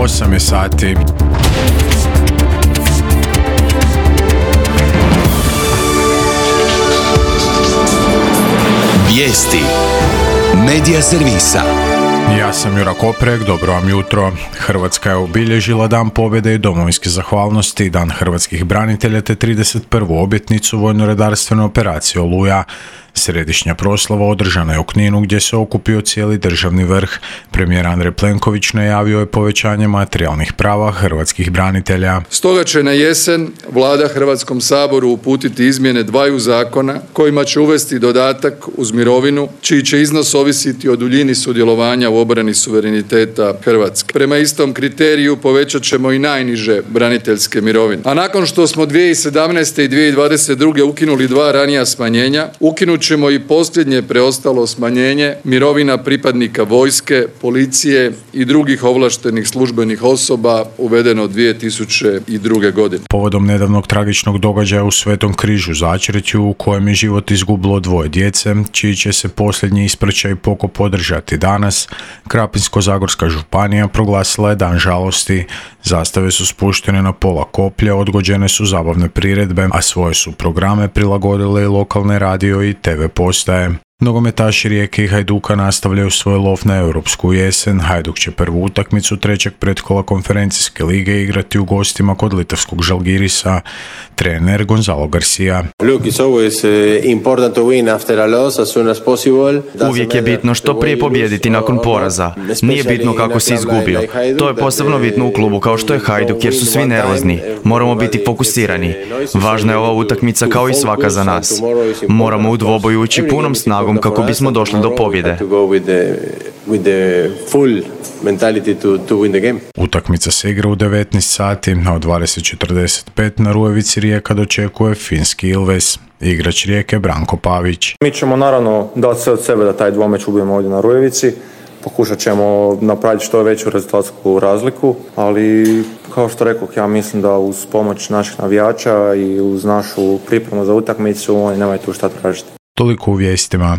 8 je sati. Vijesti Medija servisa. Ja sam Jura Koprek, dobro vam jutro. Hrvatska je obilježila Dan pobjede i domovinske zahvalnosti, Dan hrvatskih branitelja te 31. obljetnicu vojno-redarstvene operacije Oluja. Središnja proslava održana je u Kninu gdje se okupio cijeli državni vrh. Premijer Andrej Plenković najavio je povećanje materijalnih prava hrvatskih branitelja. Stoga će na jesen Vlada Hrvatskom saboru uputiti izmjene dvaju zakona kojima će uvesti dodatak uz mirovinu čiji će iznos ovisiti o duljini sudjelovanja u obrani suvereniteta Hrvatske. Prema istom kriteriju povećat ćemo i najniže braniteljske mirovine. A nakon što smo 2017. i 2022. ukinuli dva ranija smanjenja, ukinut ćemo i posljednje preostalo smanjenje mirovina pripadnika vojske, policije i drugih ovlaštenih službenih osoba uvedeno 2002. godine. Povodom nedavnog tragičnog događaja u Svetom Križu Začretju u kojem je život izgubilo dvoje djece, čiji će se posljednji ispraćaj pokop održati danas, Krapinsko-zagorska županija proglasila je dan žalosti. Zastave su spuštene na pola koplja, odgođene su zabavne priredbe, a svoje su programe prilagodile i lokalne radio i TV postaje. Nogometaši Rijeke i Hajduka nastavljaju svoj lov na europsku jesen. Hajduk će prvu utakmicu trećeg pretkola konferencijske lige igrati u gostima kod litavskog Žalgirisa. Trener Gonzalo Garcia. Uvijek je bitno što prije pobijediti nakon poraza. Nije bitno kako si izgubio. To je posebno bitno u klubu kao što je Hajduk jer su svi nervozni. Moramo biti fokusirani. Važna je ova utakmica kao i svaka za nas. Moramo u dvoboju ući punom snagom kako bismo došli do pobjede. Utakmica se igra u 19 sati, a u 20:45 na Rujevici Rijeka dočekuje finski Ilves. Igrač Rijeke Branko Pavić. Mi ćemo naravno dati sve od sebe da taj dvomeč ubijemo ovdje na Rujevici. Pokušat ćemo napraviti što veću rezultatsku razliku, ali kao što rekoh, ja mislim da uz pomoć naših navijača i uz našu pripremu za utakmicu oni nemaju tu šta tražiti. Toliko u vijestima.